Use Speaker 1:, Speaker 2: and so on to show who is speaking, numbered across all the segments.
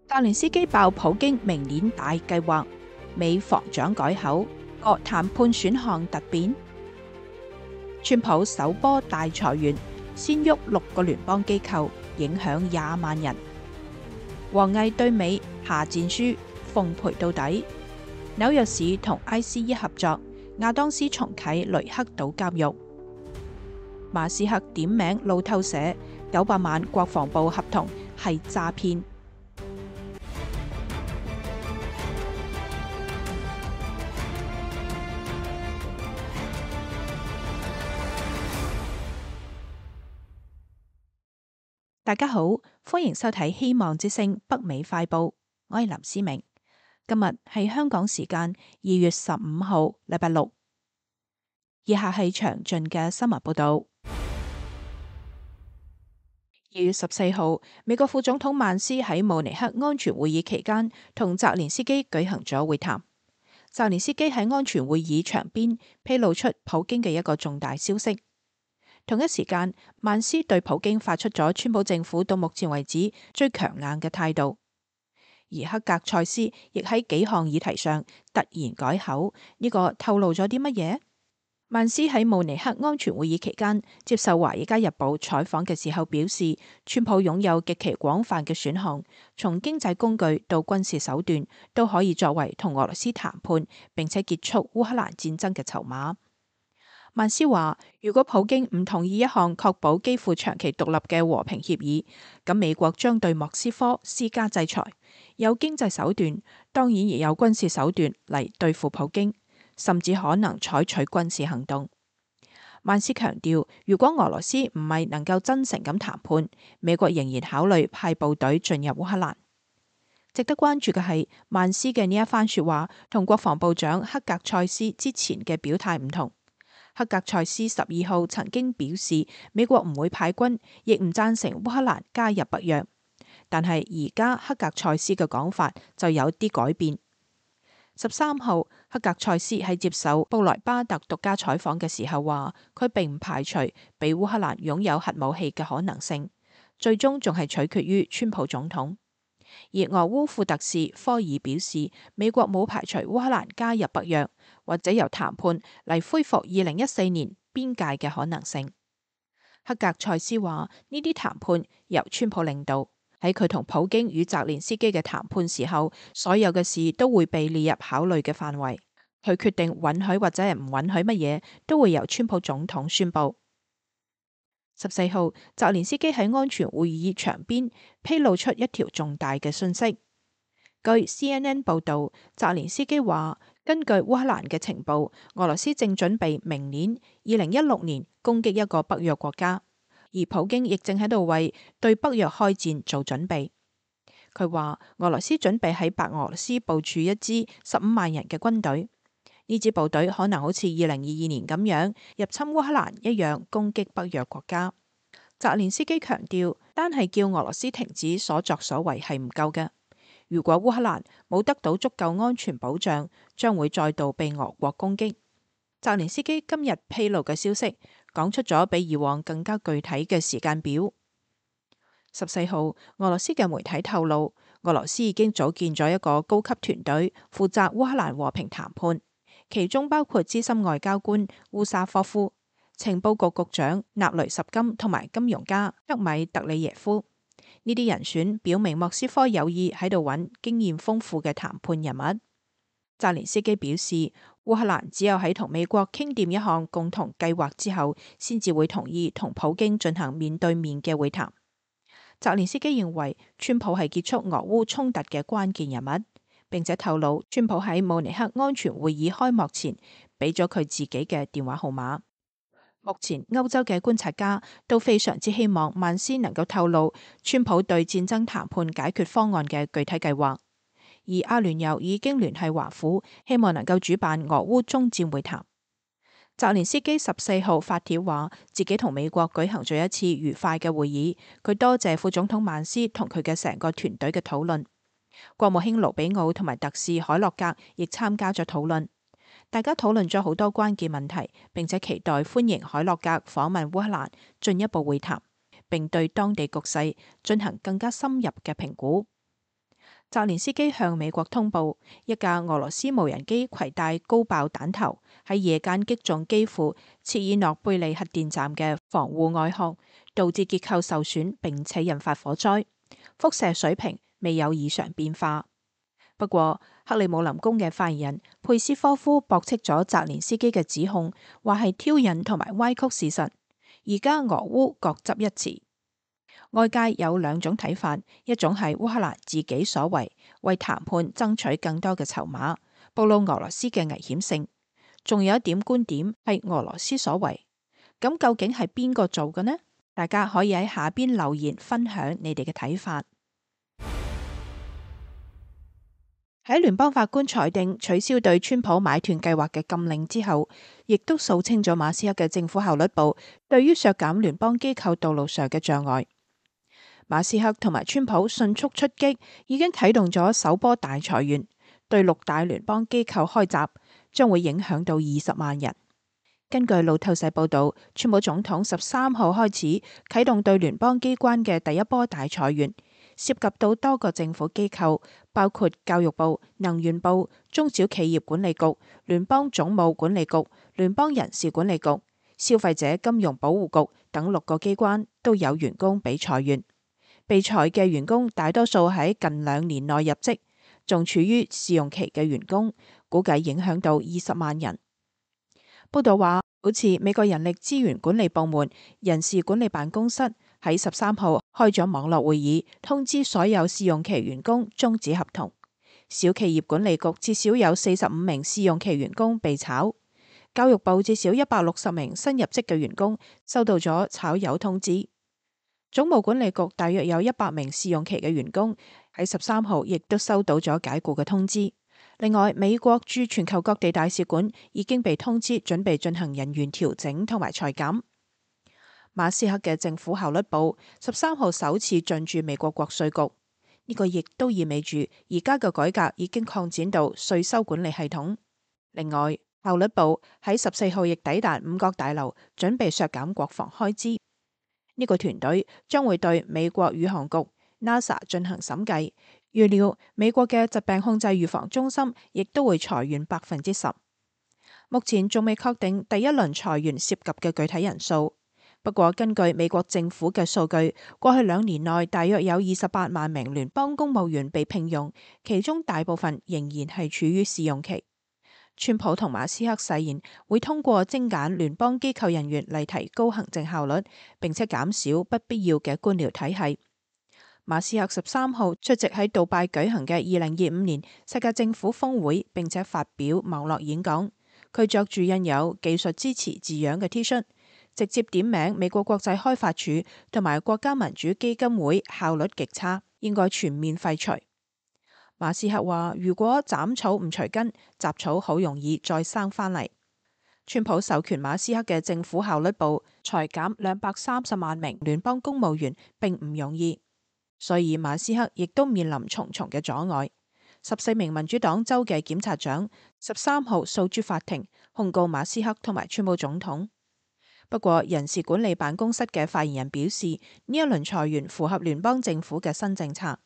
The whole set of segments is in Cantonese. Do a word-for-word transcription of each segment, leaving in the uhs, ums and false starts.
Speaker 1: 澤連斯基爆普京明年大計劃，美防長改口，各談判選項突變。川普首波大裁員，先喐六個聯邦機構，影響廿萬人。王毅對美下戰書，奉陪到底。紐約市同 I C E 合作，亞當斯重啟雷克島監獄。馬斯克點名路透社，九百萬國防部合同係詐騙。大家好，歡迎收睇《希望之聲》北美快報，我係林思明。今日係香港時間二月十五號，禮拜六。以下係詳盡嘅新聞報道。二月十四號，美國副總統曼斯喺慕尼黑安全會議期間同澤連斯基舉行咗會談。澤連斯基喺安全會議場邊披露出普京嘅一個重大消息。同一時間，曼斯對普京發出咗川普政府到目前為止最強硬嘅態度，而克格塞斯亦喺幾項議題上突然改口，呢、這個透露咗啲乜嘢？曼斯喺慕尼黑安全會議期間接受《華爾街日報》採訪嘅時候表示，川普擁有極其廣泛嘅選項，從經濟工具到軍事手段都可以作為同俄羅斯談判並且結束烏克蘭戰爭嘅籌碼。曼斯話，如果普京唔同意一項確保基輔長期獨立嘅和平協議，咁美國將對莫斯科施加制裁，有經濟手段，當然亦有軍事手段嚟對付普京，甚至可能採取軍事行動。曼斯強調，如果俄羅斯唔係能夠真誠咁談判，美國仍然考慮派部隊進入烏克蘭。值得關注嘅係，曼斯嘅呢一番說話同國防部長克格塞斯之前嘅表態唔同。克格塞斯十二號曾經表示，美國唔會派軍，亦唔贊成烏克蘭加入北約。但係而家克格塞斯嘅講法就有啲改變。十三號，克格塞斯喺接受布萊巴特獨家採訪嘅時候話，佢並唔排除俾烏克蘭擁有核武器嘅可能性，最終仲係取決於川普總統。而俄烏副特使科爾表示，美國冇排除烏克蘭加入北約，或者由談判嚟恢復二零一四年邊界嘅可能性。克格塞斯話，呢啲談判由川普領導，喺佢同普京與澤連斯基嘅談判時候，所有嘅事都會被列入考慮嘅範圍。佢決定允許或者係唔允許乜嘢，都會由川普總統宣布。十四號，澤連斯基喺安全會議場邊披露出一條重大嘅訊息。據 C N N 報道，澤連斯基話，根據烏克蘭嘅情報，俄羅斯正準備明年二零一六年攻擊一個北約國家，而普京亦正喺度為對北約開戰做準備。佢話，俄羅斯準備喺白俄羅斯部署一支十五萬人嘅軍隊，呢支部隊可能好似二零二二年咁樣入侵烏克蘭一樣攻擊北約國家。澤連斯基強調，單係叫俄羅斯停止所作所為係唔夠嘅。如果烏克蘭冇得到足夠安全保障，將會再度被俄國攻擊。澤連斯基今日披露嘅消息，講出咗比以往更加具體嘅時間表。十四號，俄羅斯嘅媒體透露，俄羅斯已經組建咗一個高級團隊，負責烏克蘭和平談判，其中包括資深外交官烏沙科夫、情報局局長納雷什金同埋金融家克米特里耶夫。呢啲人選表明莫斯科有意喺度揾經驗豐富嘅談判人物。澤連斯基表示，烏克蘭只有喺同美國傾掂一項共同計劃之後，先至會同意同普京進行面對面嘅會談。澤連斯基認為，川普係結束俄烏衝突嘅關鍵人物，並且透露川普喺慕尼黑安全會議開幕前俾咗佢自己嘅電話號碼。目前歐洲嘅觀察家都非常之希望曼斯能夠透露川普對戰爭談判解決方案嘅具體計劃，而阿聯酋已經聯繫華府，希望能夠主辦俄烏終戰會談。澤連斯基十四號發帖話，自己同美國舉行咗一次愉快嘅會議，佢多謝副總統曼斯同佢嘅成個團隊嘅討論。國務卿盧比奧同埋特使海洛格亦參加咗討論。大家討論咗好多關鍵問題，並且期待歡迎海洛格訪問烏克蘭，進一步會談，並對當地局勢進行更加深入嘅評估。澤連斯基向美國通報，一架俄羅斯無人機攜帶高爆彈頭喺夜間擊中基輔切爾諾貝利核電站嘅防護外殼，導致結構受損，並且引發火災。輻射水平未有異常變化。不過，克里姆林宮嘅發言人佩斯科夫駁斥咗澤連斯基嘅指控，話係挑釁同埋歪曲事實。而家俄烏各執一詞。外界有兩種睇法，一種係烏克蘭自己所為，為談判爭取更多嘅籌碼，暴露俄羅斯嘅危險性；仲有一點觀點係俄羅斯所為。咁究竟係邊個做嘅呢？大家可以喺下邊留言分享你哋嘅睇法。喺聯邦法官裁定取消對川普買斷計劃嘅禁令之後，亦都掃清咗馬斯克嘅政府效率部對於削減聯邦機構道路上嘅障礙。馬斯克同埋川普迅速出擊，已經啟動咗首波大裁員，對六大聯邦機構開閘，將會影響到二十萬人。根據路透社報道，川普總統十三號開始啟動對聯邦機關嘅第一波大裁員，涉及到多個政府機構，包括教育部、能源部、中小企業管理局、聯邦總務管理局、聯邦人事管理局、消費者金融保護局等六個機關都有員工被裁員。被裁嘅員工大多數喺近兩年內入職，仲處於試用期嘅員工，估計影響到二十萬人。報道話，好似美國人力資源管理部門人事管理辦公室喺十三號開咗網絡會議，通知所有試用期員工終止合同。小企業管理局至少有四十五名試用期員工被炒。教育部至少一百六十名新入職嘅員工收到咗炒魷通知。總務管理局大約有一百名試用期嘅員工喺十三號亦都收到咗解雇嘅通知。另外，美國駐全球各地大使館已經被通知準備進行人員調整同埋裁減。馬斯克嘅政府效率部十三號首次進駐美國國稅局，呢、這個亦都意味住而家嘅改革已經擴展到稅收管理系統。另外，效率部喺十四號亦抵達五角大樓，準備削減國防開支。呢個團隊將會對美國宇航局 NASA 進行審計，預料美國嘅疾病控制預防中心亦都會裁員百分之十。目前仲未確定第一輪裁員涉及嘅具體人數，不過根據美國政府嘅數據，過去兩年內大約有二十八萬名聯邦公務員被聘用，其中大部分仍然係處於試用期。川普同馬斯克誓言會通過精簡聯邦機構人員嚟提高行政效率，並且減少不必要嘅官僚體系。馬斯克十三號出席喺杜拜舉行嘅二零二五年世界政府峰會，並且發表網絡演講。佢着住印有技術支持字樣嘅 T 恤，直接點名美國國際開發署同埋國家民主基金會效率極差，應該全面廢除。馬斯克話：如果斬草唔除根，雜草好容易再生返嚟。川普授權馬斯克嘅政府效率部裁減兩百三十萬名聯邦公務員，並唔容易，所以馬斯克亦都面臨重重嘅阻礙。十四名民主黨州嘅檢察長十三號訴諸法庭，控告馬斯克同埋川普總統。不過，人事管理辦公室嘅發言人表示，呢一輪裁員符合聯邦政府嘅新政策。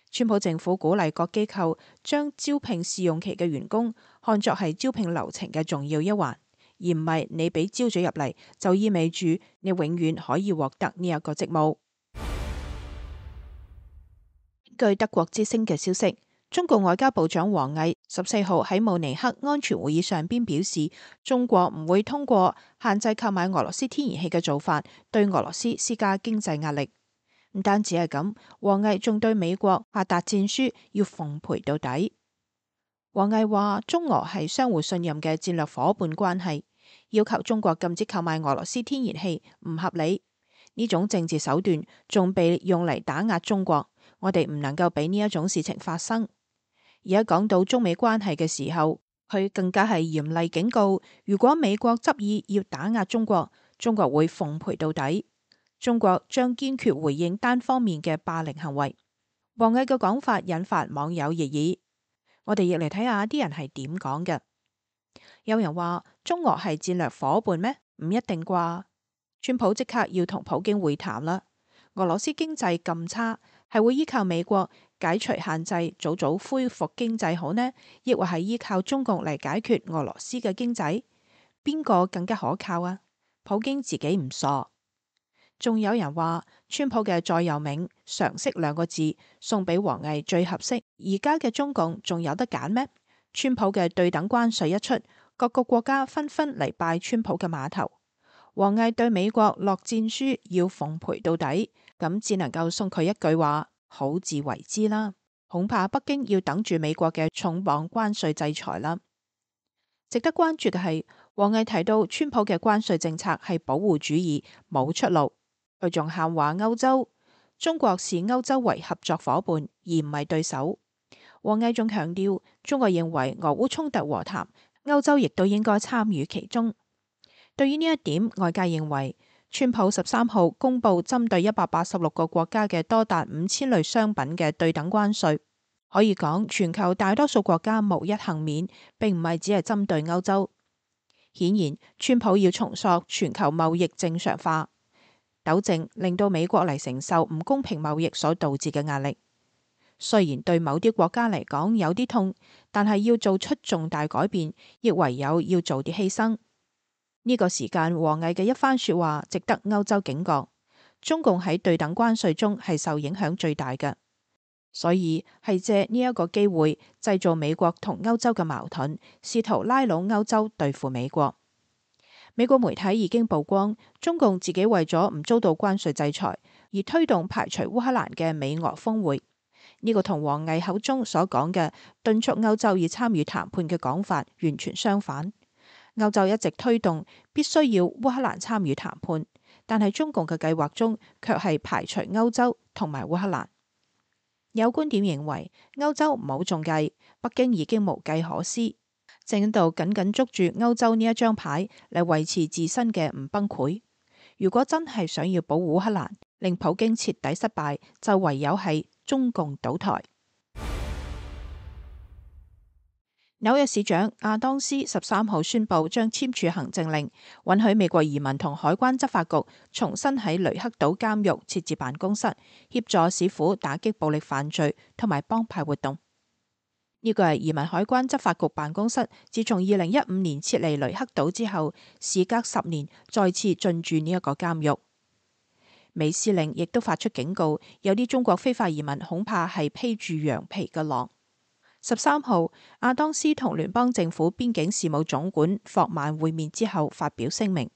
Speaker 1: 川普政府鼓勵各機構將招聘試用期嘅員工看作係招聘流程嘅重要一環，而唔係你俾招咗入嚟就意味住你永遠可以獲得呢一個職務。據德國之聲嘅消息，中國外交部長王毅十四號喺慕尼黑安全會議上邊表示，中國唔會通過限制購買俄羅斯天然氣嘅做法對俄羅斯施加經濟壓力。唔單止係咁，王毅仲對美國下達戰書，要奉陪到底。王毅話：中俄係相互信任嘅戰略夥伴關係，要求中國禁止購買俄羅斯天然氣唔合理。呢種政治手段仲被用嚟打壓中國，我哋唔能夠俾呢一種事情發生。而家講到中美關係嘅時候，佢更加係嚴厲警告：如果美國執意要打壓中國，中國會奉陪到底。中國將堅決回應單方面嘅霸凌行為。王毅嘅講法引發網友熱議，我哋亦嚟睇下啲人係點講嘅。有人話中俄係戰略夥伴咩？唔一定啩。川普即刻要同普京會談啦。俄羅斯經濟咁差，係會依靠美國解除限制，早早恢復經濟好呢？抑或係依靠中共嚟解決俄羅斯嘅經濟？邊個更加可靠啊？普京自己唔傻。仲有人話，川普嘅座右銘常識兩個字送俾王毅最合適。而家嘅中共仲有得揀咩？川普嘅對等關稅一出，各個國家紛紛嚟拜川普嘅碼頭。王毅對美國落戰書要奉陪到底，咁只能夠送佢一句話：好自為之啦。恐怕北京要等住美國嘅重磅關稅制裁啦。值得關注嘅係，王毅提到川普嘅關稅政策係保護主義，冇出路。佢仲喊話歐洲，中國視歐洲為合作伙伴，而唔係對手。王毅仲強調，中國認為俄烏衝突和談，歐洲亦都應該參與其中。對於呢一點，外界認為川普十三號公布針對一百八十六個國家嘅多達五千類商品嘅對等關稅，可以講全球大多數國家無一幸免，並唔係只係針對歐洲。顯然，川普要重塑全球貿易正常化，糾正令到美國嚟承受唔公平貿易所導致嘅壓力。雖然對某啲國家嚟講有啲痛，但係要做出重大改變，亦唯有要做啲犧牲。呢個時間，王毅嘅一番說話值得歐洲警覺。中共喺對等關稅中係受影響最大嘅，所以係借呢一個機會製造美國同歐洲嘅矛盾，試圖拉攏歐洲對付美國。美國媒體已經曝光，中共自己為咗唔遭到關稅制裁，而推動排除烏克蘭嘅美俄峰會。呢、這個同王毅口中所講嘅敦促歐洲要參與談判嘅講法完全相反。歐洲一直推動必須要烏克蘭參與談判，但係中共嘅計劃中卻係排除歐洲同埋烏克蘭。有觀點認為，歐洲唔好中計，北京已經無計可施，正喺度緊緊捉住歐洲呢一張牌嚟維持自身嘅唔崩潰。如果真係想要保護烏克蘭，令普京徹底失敗，就唯有係中共倒台。紐約市長亞當斯十三號宣布將簽署行政令，允許美國移民同海關執法局重新喺雷克島監獄設置辦公室，協助市府打擊暴力犯罪同埋幫派活動。呢個係移民海關執法局辦公室自從二零一五年撤離雷克島之後，事隔十年再次進駐呢一個監獄。美司令亦都發出警告，有啲中國非法移民恐怕係披住羊皮嘅狼。十三號，亞當斯同聯邦政府邊境事務總管霍曼會面之後發表聲明，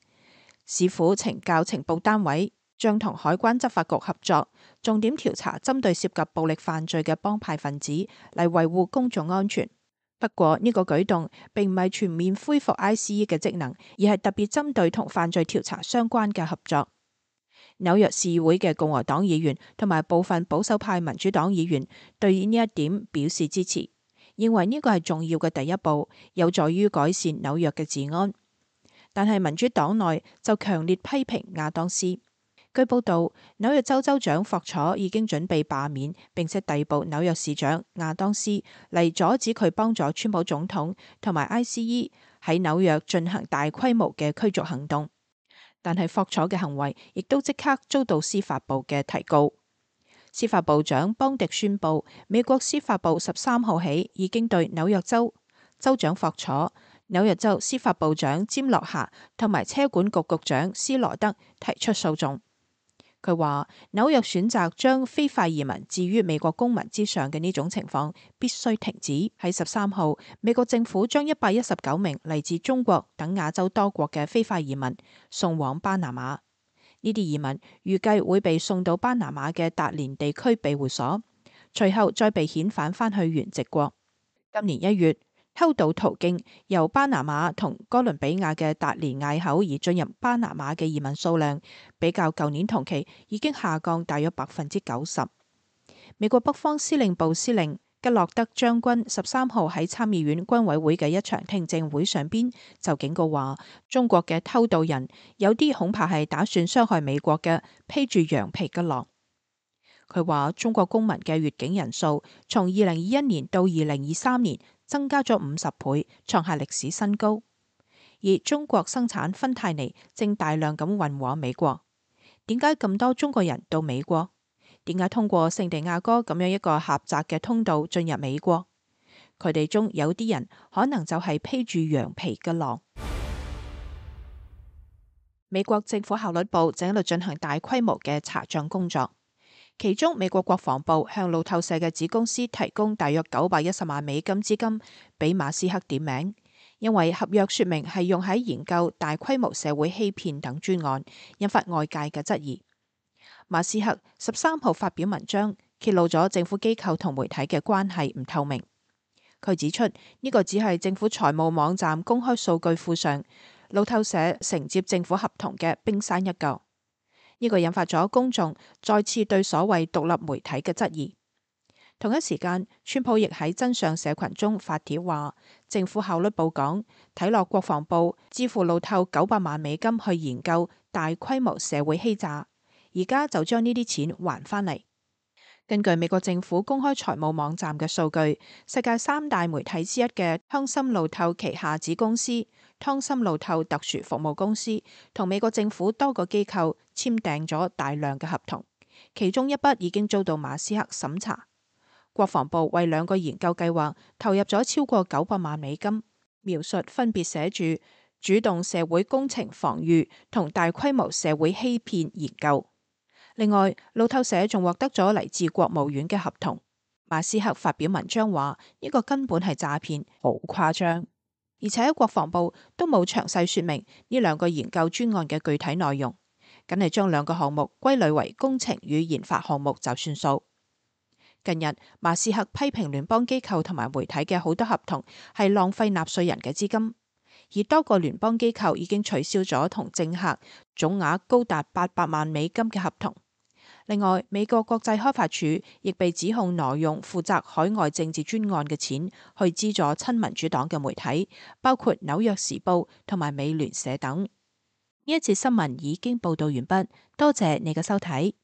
Speaker 1: 市府懲教情報單位將同海關執法局合作，重點調查針對涉及暴力犯罪嘅幫派分子，嚟維護公眾安全。不過呢個舉動並唔係全面恢復 I C E 嘅職能，而係特別針對同犯罪調查相關嘅合作。紐約市議會嘅共和黨議員同埋部分保守派民主黨議員對呢一點表示支持，認為呢個係重要嘅第一步，有助於改善紐約嘅治安。但係民主黨內就強烈批評亞當斯。據報道，紐約州州長霍楚已經準備罷免，並且逮捕紐約市長亞當斯嚟阻止佢幫助川普總統同埋 I C E 喺紐約進行大規模嘅驅逐行動。但係霍楚嘅行為亦都即刻遭到司法部嘅提告。司法部長邦迪宣布，美國司法部十三號起已經對紐約州州長霍楚、紐約州司法部長詹諾夏同埋車管局局長斯羅德提出訴訟。佢話紐約選擇將非法移民置於美國公民之上嘅呢種情況必須停止。喺十三號，美國政府將一百一十九名嚟自中國等亞洲多國嘅非法移民送往巴拿馬。呢啲移民預計會被送到巴拿馬嘅達連地區庇護所，隨後再被遣返返去原籍國。今年一月，偷渡途徑由巴拿馬同哥倫比亞嘅達連隘口而進入巴拿馬嘅移民數量，比較舊年同期已經下降大約百分之九十。美國北方司令部司令吉洛德將軍十三號喺參議院軍委會嘅一場聽證會上邊就警告話，中國嘅偷渡人有啲恐怕係打算傷害美國嘅披住羊皮嘅狼。佢話中國公民嘅越境人數從二零二一年到二零二三年增加咗五十倍，創下歷史新高。而中國生產芬太尼正大量咁運往美國。點解咁多中國人到美國？點解通過聖地亞哥咁樣一個狹窄嘅通道進入美國？佢哋中有啲人可能就係披住羊皮嘅狼。美國政府效率部正喺度進行大規模嘅查賬工作，其中美國國防部向路透社嘅子公司提供大約九百一十萬美金資金俾馬斯克點名，因為合約說明係用喺研究大規模社會欺騙等專案，引發外界嘅質疑。馬斯克十三號發表文章，揭露咗政府機構同媒體嘅關係唔透明。佢指出呢個只係政府財務網站公開數據庫上路透社承接政府合同嘅冰山一角。呢個引發咗公眾再次對所謂獨立媒體嘅質疑。同一時間，川普亦喺真相社群中發帖話，政府效率部講睇落國防部支付路透九百萬美金去研究大規模社會欺詐，而家就將呢啲錢還返嚟。根據美國政府公開財務網站嘅數據，世界三大媒體之一嘅湯森路透旗下子公司湯森路透特殊服務公司同美國政府多個機構簽訂咗大量嘅合同，其中一筆已經遭到馬斯克審查。國防部為兩個研究計劃投入咗超過九百萬美金，描述分別寫住主動社會工程防禦同大規模社會欺騙研究。另外，路透社仲獲得咗嚟自國務院嘅合同。馬斯克發表文章話呢個根本係詐騙，好誇張，而且國防部都冇詳細說明呢兩個研究專案嘅具體內容，僅係將兩個項目歸類為工程與研發項目就算數。近日，馬斯克批評聯邦機構同埋媒體嘅好多合同係浪費納稅人嘅資金，而多個聯邦機構已經取消咗同政客總額高達八百萬美金嘅合同。另外，美國國際開發署亦被指控挪用負責海外政治專案嘅錢去資助親民主黨嘅媒體，包括紐約時報同埋美聯社等。呢一節新聞已經報道完畢，多謝你嘅收睇。